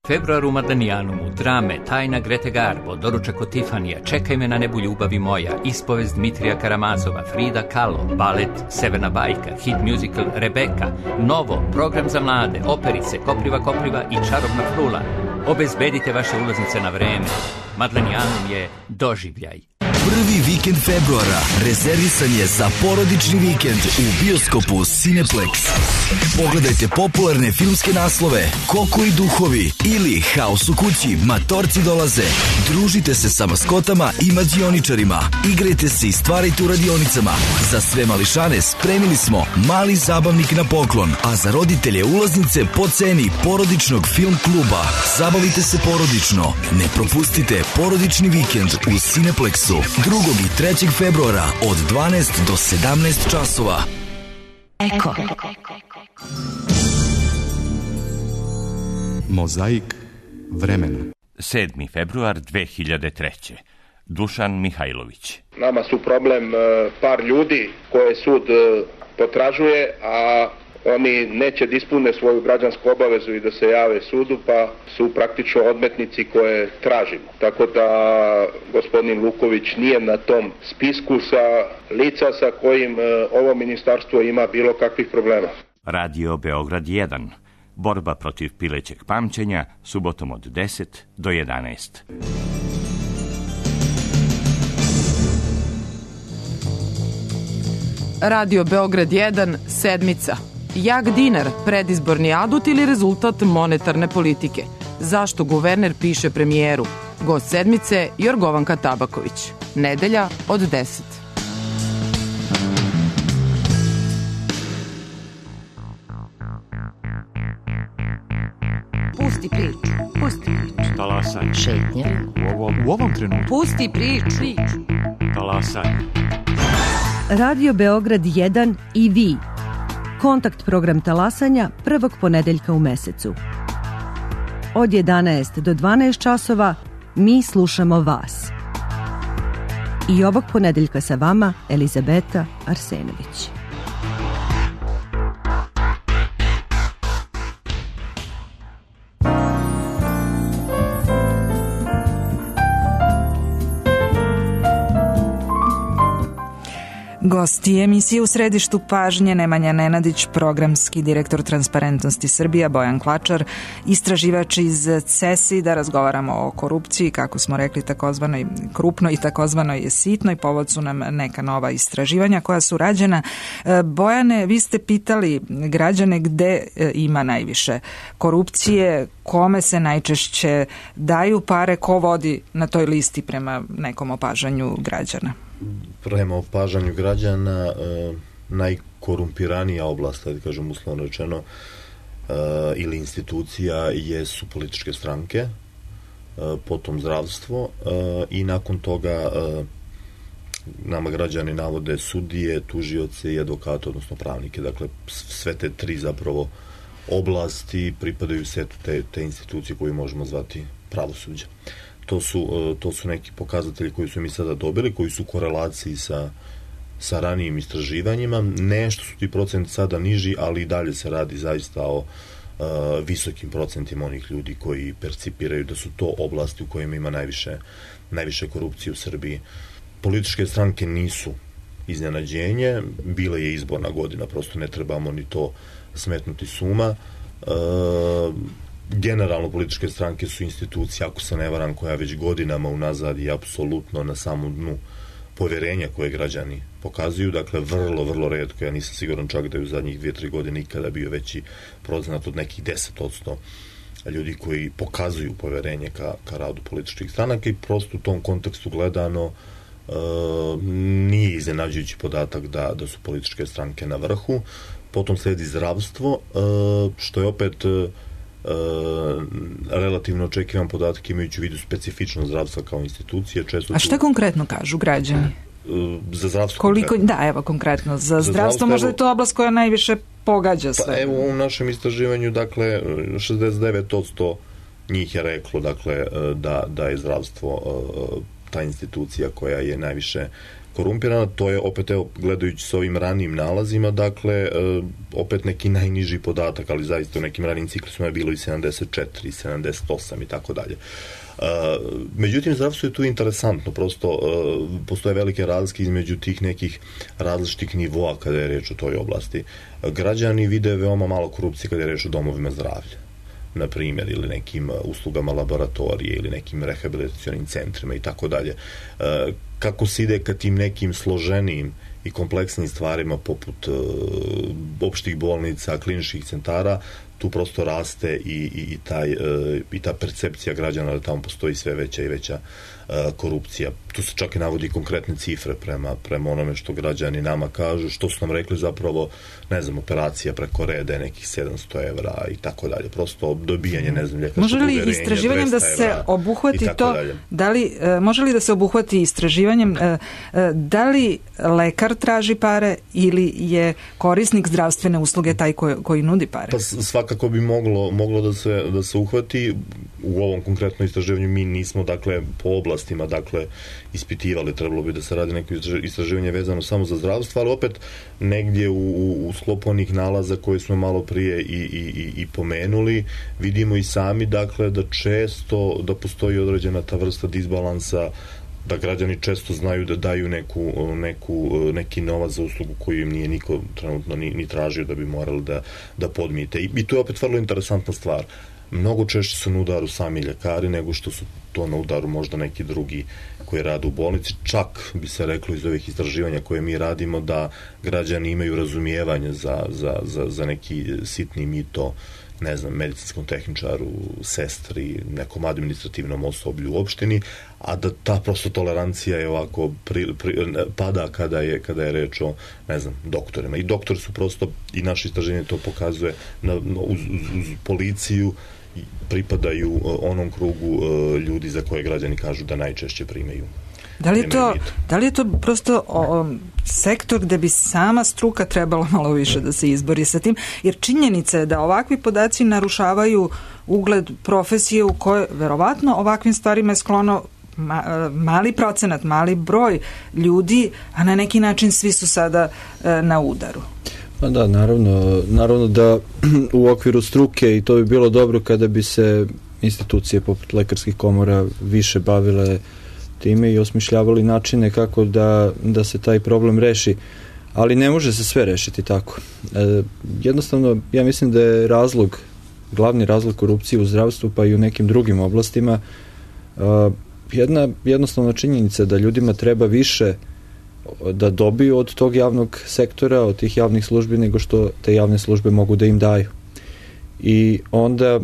Februar u Madanijanumu, drame, tajna Grete Garbo, doručak od Tifanija, Čekaj me na nebu ljubavi moja, ispovest Dmitrija Karamazova, Frida Kahlo, balet Severna bajka, hit musical Rebeka, Novo, program za mlade, operice, Kopriva Kopriva i Čarobna frula. Obezbedite vaše ulaznice na vreme. Madlenijanum je doživljaj. Prvi vikend februara rezervisan je za porodični vikend u bioskopu Cineplex. Pogledajte popularne filmske naslove Koko i duhovi ili Haos u kući, Matorci dolaze. Družite se sa maskotama i mađioničarima. Igrajte se i stvarajte u radionicama. Za sve mališane spremili smo mali zabavnik na poklon, a za roditelje ulaznice po ceni porodičnog film kluba. Zabavite se porodično. Ne propustite porodični vikend u Cineplexu drugog i trećeg februara od dvanaest do sedamnaest časova. Eko. Mozaik vremena. sedmi februar dve hiljade treće. Dušan Mihajlović. Nama su problem par ljudi koje sud potražuje, a oni neće da ispune svoju građansku obavezu i da se jave sudu, pa su praktično odmetnici koje tražimo. Tako da gospodin Luković nije na tom spisku sa lica sa kojim ovo ministarstvo ima bilo kakvih problema. Radio Beograd jedan. Borba protiv pilećeg pamćenja, subotom od deset do jedanaest. Radio Beograd jedan, sedmica. Jak dinar, predizborni adut ili rezultat monetarne politike? Zašto guverner piše premijeru? Gost sedmice Jorgovanka Tabaković. Nedelja od deset. Pusti priču. Pusti priču. Talasanje. Šetnja. U ovom, u ovom trenutku. Pusti priču. Talasanje. Radio Beograd jedan i vi. Kontakt program talasanja prvog ponedeljka u mesecu. Od jedanaest do dvanaest časova mi slušamo vas. I ovog ponedeljka sa vama Elizabeta Arsenović. Gosti emisije U središtu pažnje Nemanja Nenadić, programski direktor Transparentnosti Srbija, Bojan Klačar, istraživač iz C E S I, da razgovaramo o korupciji, kako smo rekli, takozvanoj krupnoj i takozvanoj sitnoj. Povod su nam neka nova istraživanja koja su rađena. Bojane, vi ste pitali građane gde ima najviše korupcije, kome se najčešće daju pare, ko vodi na toj listi prema nekom opažanju građana? Prema opažanju građana, e, najkorumpiranija oblast, da kažem uslovno rečeno, e, ili institucija jesu političke stranke, e, potom zdravstvo e, i nakon toga e, nama građani navode sudije, tužioce i advokate, odnosno pravnike. Dakle, sve te tri zapravo oblasti pripadaju setu te, te institucije koju možemo zvati pravosuđa. To su, to su neki pokazatelji koji su mi sada dobili, koji su u korelaciji sa, sa ranijim istraživanjima. Nešto su ti procenti sada niži, ali i dalje se radi zaista o visokim procentima onih ljudi koji percipiraju da su to oblasti u kojima ima najviše, najviše korupcije u Srbiji. Političke stranke nisu iznenađenje, bila je izborna godina, prosto ne trebamo ni to smetnuti s uma. E, generalno političke stranke su institucije, ako se ne varam, koja već godinama unazad je apsolutno na samom dnu poverenja koje građani pokazuju, dakle vrlo, vrlo retko, ja nisam siguran čak da je u zadnjih dvije, tri godine ikada bio veći procenat od nekih deset odsto ljudi koji pokazuju poverenje ka, ka radu političkih stranaka i prosto u tom kontekstu gledano e, nije iznenađujući podatak da, da su političke stranke na vrhu. Potom sledi zdravstvo, e, što je opet e, relativno očekivan podatak imajući u vidu specifičnost zdravstva kao institucije. Često A šta tu... konkretno kažu građani? Za zdravstvo Koliko, konkretno? Da, evo konkretno. Za, za zdravstvo, zdravstvo možda je to oblast koja najviše pogađa sve. Pa evo u našem istraživanju, dakle, šezdeset devet odsto njih je reklo, dakle, da, da je zdravstvo ta institucija koja je najviše korumpirana. To je opet, evo, gledajući s ovim ranijim nalazima, dakle, opet neki najniži podatak, ali zaista u nekim ranijim ciklusima je bilo i sedamdeset četiri, sedamdeset osam i tako dalje. Međutim, zdravstvo je tu interesantno, prosto postoje velike razlike između tih nekih različitih nivoa kada je reč o toj oblasti. Građani vide veoma malo korupcije kada je reč o domovima zdravlja, na primjer, ili nekim uslugama laboratorije ili nekim rehabilitacionim centrima i tako dalje. Kako se ide ka tim nekim složenijim i kompleksnim stvarima poput opštih bolnica, kliničkih centara, tu prosto raste i, i, i, taj, i ta percepcija građana da tamo postoji sve veća i veća korupcija. Tu se čak i navodi konkretne cifre prema, prema onome što građani nama kažu, što su nam rekli zapravo, ne znam, operacija preko reda nekih sedamsto evra i tako dalje. Prosto dobijanje, ne znam, ljekačkog uverenja, može li istraživanjem da se obuhvati to, da li, može li da se obuhvati istraživanjem, da li lekar traži pare ili je korisnik zdravstvene usluge taj koji, koji nudi pare? Pa svakako bi moglo, moglo da se, da se uhvati. U ovom konkretnom istraživanju mi nismo, dakle, po oblastima, dakle, ispitivali, trebalo bi da se radi neko istraživanje vezano samo za zdravstvo, ali opet negdje u, u, u sklopu onih nalaza koje smo malo prije i, i, i pomenuli, vidimo i sami, dakle, da često, da postoji određena ta vrsta disbalansa, da građani često znaju da daju neku, neku, neki novac za uslugu koju im nije niko trenutno ni, ni tražio da bi morali da, da podmijete. I, I to je opet vrlo interesantna stvar. Mnogo češće su na udaru sami ljekari nego što su to na udaru možda neki drugi koji rade u bolnici. Čak bi se reklo iz ovih istraživanja koje mi radimo da građani imaju razumijevanje za, za, za, za neki sitni mito, ne znam, medicinskom tehničaru, sestri, nekom administrativnom osoblju u opštini, a da ta prosto tolerancija je ovako pri, pri, pada kada je, kada je reč o, ne znam, doktorima. I doktori su prosto, i naše istraženje to pokazuje, na, uz, uz, uz policiju pripadaju onom krugu ljudi za koje građani kažu da najčešće primaju. Da li je to, da li je to prosto o, sektor gde bi sama struka trebala malo više da se izbori sa tim, jer činjenica je da ovakvi podaci narušavaju ugled profesije u kojoj verovatno ovakvim stvarima je sklono ma, mali procenat, mali broj ljudi, a na neki način svi su sada e, na udaru. Pa da, naravno, naravno da u okviru struke, i to bi bilo dobro kada bi se institucije poput lekarskih komora više bavile time i osmišljavali načine kako da, da se taj problem reši, ali ne može se sve rešiti tako. E, jednostavno, ja mislim da je razlog, glavni razlog korupcije u zdravstvu pa i u nekim drugim oblastima e, jedna jednostavna činjenica da ljudima treba više da dobiju od tog javnog sektora, od tih javnih službi, nego što te javne službe mogu da im daju. I onda,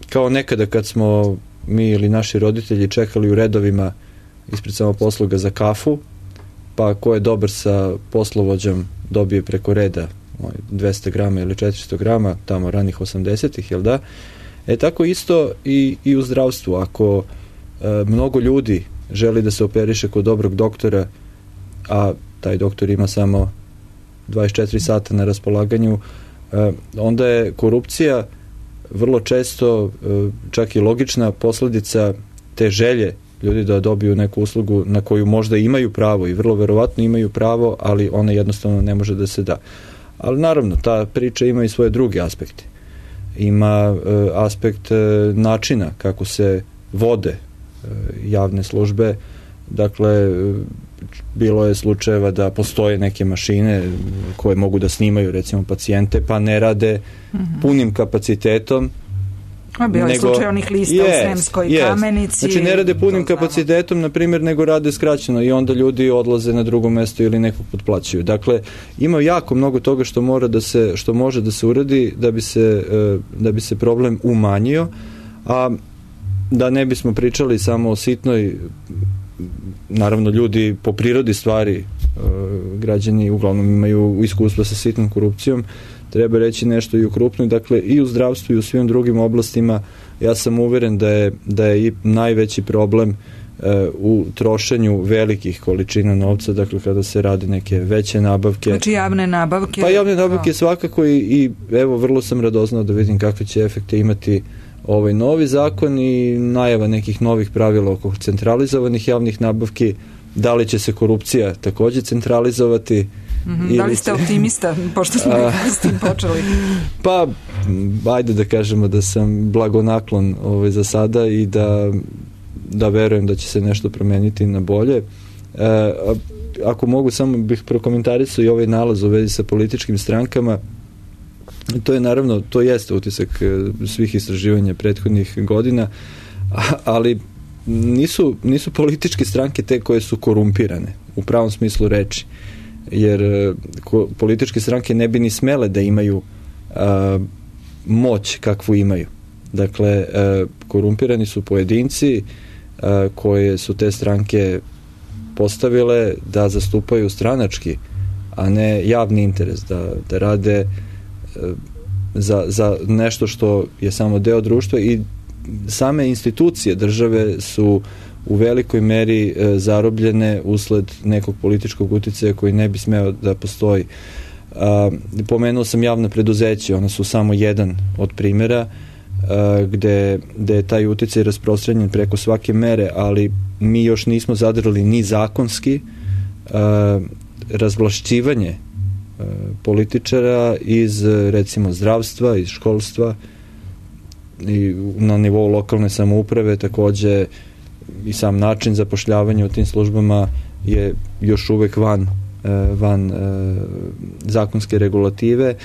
kao nekada kad smo mi ili naši roditelji čekali u redovima ispred samoposluga za kafu, pa ko je dobar sa poslovođom dobije preko reda dvesta grama ili četiristo grama, tamo ranih osamdesetih, jel da? E tako isto i, i u zdravstvu. Ako e, mnogo ljudi želi da se operiše kod dobrog doktora, a taj doktor ima samo dvadeset četiri sata na raspolaganju, e, onda je korupcija vrlo često e, čak i logična posledica te želje ljudi da dobiju neku uslugu na koju možda imaju pravo i vrlo verovatno imaju pravo, ali ona jednostavno ne može da se da. Ali naravno, ta priča ima i svoje druge aspekte. ima aspekt načina kako se vode javne službe. Dakle, bilo je slučajeva da postoje neke mašine koje mogu da snimaju recimo pacijente, pa ne rade mm-hmm. punim kapacitetom. A bio je slučaj onih lista yes, u Sremskoj yes. Kamenici. Znači ne rade punim kapacitetom, na primjer, nego rade skraćeno i onda ljudi odlaze na drugo mesto ili nekog potplaćuju. Dakle, ima jako mnogo toga što mora da se, što može da se uradi da bi se, da bi se problem umanjio, a da ne bismo pričali samo o sitnoj, naravno ljudi po prirodi stvari, građani uglavnom imaju iskustva sa sitnom korupcijom, treba reći nešto i u krupnoj, dakle i u zdravstvu i u svim drugim oblastima. Ja sam uveren da je, da je i najveći problem uh, u trošenju velikih količina novca, dakle kada se rade neke veće nabavke. Znači javne nabavke? Pa javne nabavke no. svakako i, i evo vrlo sam radoznao da vidim kakve će efekte imati ovaj novi zakon i najava nekih novih pravila oko centralizovanih javnih nabavki. Da li će se korupcija također centralizovati? Mm-hmm. Da li ste optimista, pošto smo nekako s tim počeli? Pa, ajde da kažemo da sam blagonaklon ovaj, za sada i da, da verujem da će se nešto promeniti na bolje. E, ako mogu, samo bih prokomentarisao i ovaj nalaz u vezi sa političkim strankama. To je naravno, to jeste utisak svih istraživanja prethodnih godina, ali nisu, nisu političke stranke te koje su korumpirane, u pravom smislu reči. Jer ko, političke stranke ne bi ni smele da imaju a, moć kakvu imaju. Dakle, a, korumpirani su pojedinci a, koje su te stranke postavile da zastupaju stranački, a ne javni interes, da, da rade a, za, za nešto što je samo deo društva i same institucije države su u velikoj meri e, zarobljene usled nekog političkog uticaja koji ne bi smeo da postoji. A, pomenuo sam javna preduzeća, ona su samo jedan od primjera a, gde, gde je taj uticaj rasprostranjen preko svake mere, ali mi još nismo zadrli ni zakonski a, razvlašćivanje a, političara iz recimo zdravstva, iz školstva i na nivou lokalne samouprave takođe i sam način zapošljavanja u tim službama je još uvek van, van zakonske regulative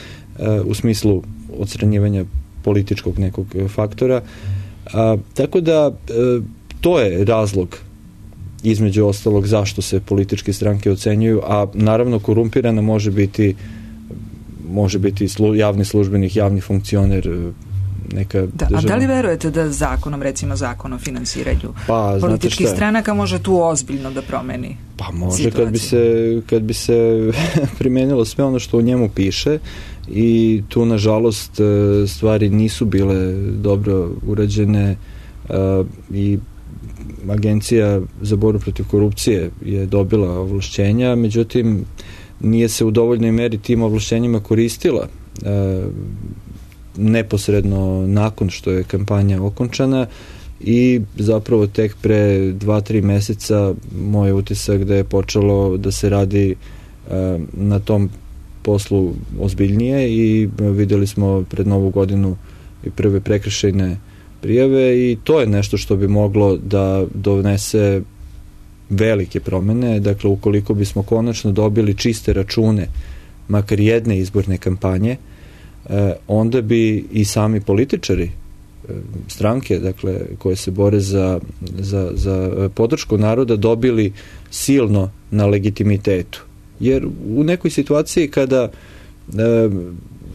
u smislu odstranjivanja političkog nekog faktora. A, tako da to je razlog između ostalog zašto se političke stranke ocenjuju, a naravno korumpirana može biti može biti slu, javni službenik, javni funkcioner, neka da, a da li verujete da zakonom, recimo zakon o finansiranju pa, političkih stranaka može tu ozbiljno da promeni pa može situaciju? kad bi se, kad bi se primenilo sve ono što u njemu piše i tu nažalost stvari nisu bile dobro urađene i Agencija za borbu protiv korupcije je dobila ovlašćenja, međutim nije se u dovoljnoj meri tim ovlašćenjima koristila neposredno nakon što je kampanja okončana i zapravo tek pre dva, tri meseca moj utisak da je počelo da se radi uh, na tom poslu ozbiljnije i videli smo pred novu godinu i prve prekršajne prijave i to je nešto što bi moglo da donese velike promene. Dakle, ukoliko bismo konačno dobili čiste račune makar jedne izborne kampanje, onda bi i sami političari stranke, dakle, koje se bore za, za, za podršku naroda dobili silno na legitimitetu. Jer u nekoj situaciji kada e,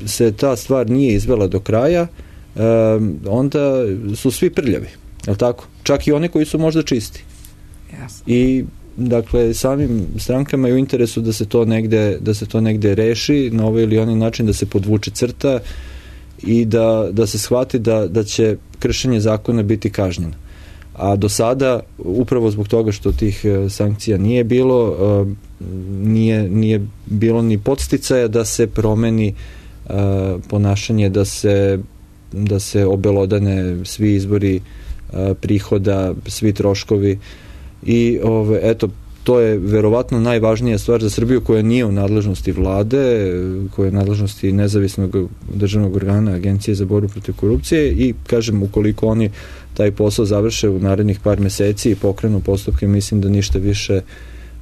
se ta stvar nije izvela do kraja, e, onda su svi prljavi, je li tako? Čak i oni koji su možda čisti. Yes. I dakle, samim strankama je u interesu da se to negde, da se to negde reši na ovaj ili onaj način, da se podvuče crta i da, da se shvati da, da će kršenje zakona biti kažnjeno. A do sada, upravo zbog toga što tih sankcija nije bilo, nije, nije bilo ni podsticaja da se promeni ponašanje, da se, da se obelodane svi izbori prihoda, svi troškovi. I ove, eto, to je verovatno najvažnija stvar za Srbiju koja nije u nadležnosti vlade, koja je u nadležnosti nezavisnog državnog organa Agencije za borbu protiv korupcije i kažem, ukoliko oni taj posao završe u narednih par meseci i pokrenu postupke, mislim da ništa više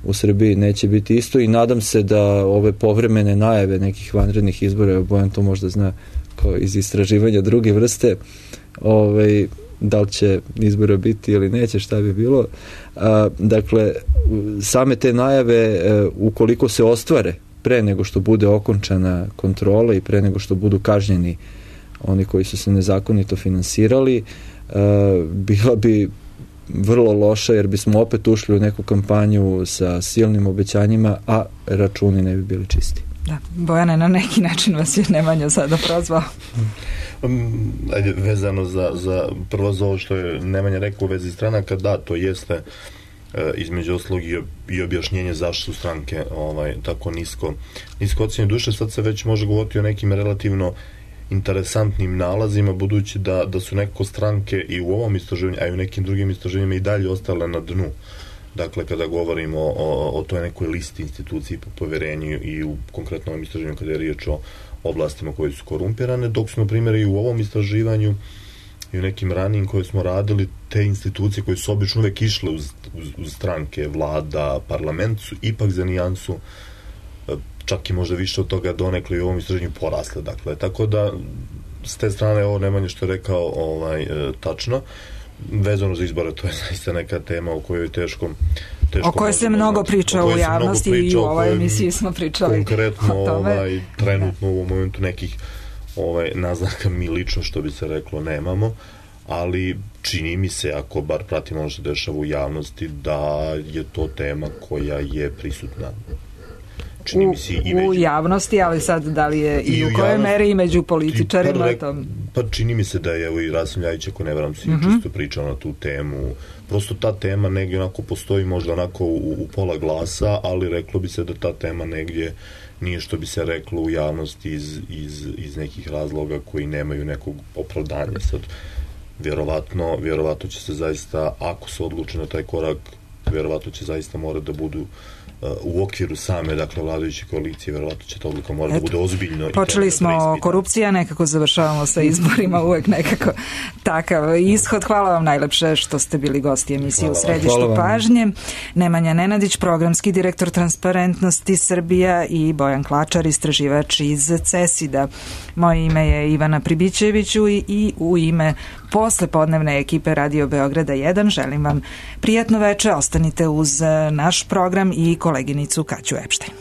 u Srbiji neće biti isto i nadam se da ove povremene najave nekih vanrednih izbora, Bojan to možda zna kao iz istraživanja druge vrste, ovaj, da li će izbora biti ili neće, šta bi bilo. A, dakle, same te najave, ukoliko se ostvare pre nego što bude okončana kontrola i pre nego što budu kažnjeni oni koji su se nezakonito finansirali, a, bila bi vrlo loša jer bismo opet ušli u neku kampanju sa silnim obećanjima, a računi ne bi bili čisti. Da, Bojane, na neki način vas je Nemanja sada prozvao. Um, ajde, vezano za, za prvo za ovo što je Nemanja rekao u vezi stranaka, da, to jeste e, između oslog i, i objašnjenje zašto su stranke ovaj, tako nisko, nisko ocjenje. Duše, sad se već može govoriti o nekim relativno interesantnim nalazima, budući da, da su nekako stranke i u ovom istraživanju, a i u nekim drugim istraživanjima i dalje ostale na dnu. Dakle, kada govorimo o, o toj nekoj listi instituciji po poverenju i u konkretnom ovom istraživanju kada je riječ o oblastima koje su korumpirane, dok su, na primjer, i u ovom istraživanju i u nekim ranijim koje smo radili, te institucije koje su obično uvek išle uz, uz, uz stranke, vlada, parlament, su ipak za nijansu, čak i možda više od toga donekle i u ovom istraživanju porasle. Dakle, tako da, s te strane, ovo Nemanja što je rekao ovaj, tačno. Vezano za izbore, to je zaista neka tema o kojoj je teško, teško o kojoj se mnogo priča u javnosti i u ovoj emisiji smo pričali konkretno ovaj, trenutno u ovom momentu nekih ovaj, naznaka mi lično, što bi se reklo, nemamo, ali čini mi se, ako bar pratimo ono što dešava u javnosti, da je to tema koja je prisutna. Čini mi se i među... U javnosti, ali sad da li je i, i u kojoj meri i među političarima? Pa, tom... pa čini mi se da je evo i Rasim Ljajić, ako ne veram, si mm -hmm. čisto pričao na tu temu. Prosto ta tema negdje onako postoji možda onako u, u pola glasa, ali reklo bi se da ta tema negdje nije što bi se reklo u javnosti iz, iz, iz nekih razloga koji nemaju nekog opravdanja. Sad, vjerovatno, vjerovatno će se zaista, ako se odluči na taj korak, vjerovatno će zaista morati da budu u okviru same, dakle, vladajuće koalicije, verovatno će ta odluka mora da bude ozbiljno. Počeli smo korupcija, nekako završavamo sa izborima, uvek nekako takav ishod. Hvala vam najlepše što ste bili gosti emisije u središtu pažnje. Nemanja Nenadić, programski direktor Transparentnosti Srbija i Bojan Klačar, istraživač iz CESID-a. Moje ime je Ivana Pribićeviću i, i u ime posle podnevne ekipe Radio Beograda jedan želim vam prijatno veče, ostanite uz naš program i koleginicu Kaću Epštajn.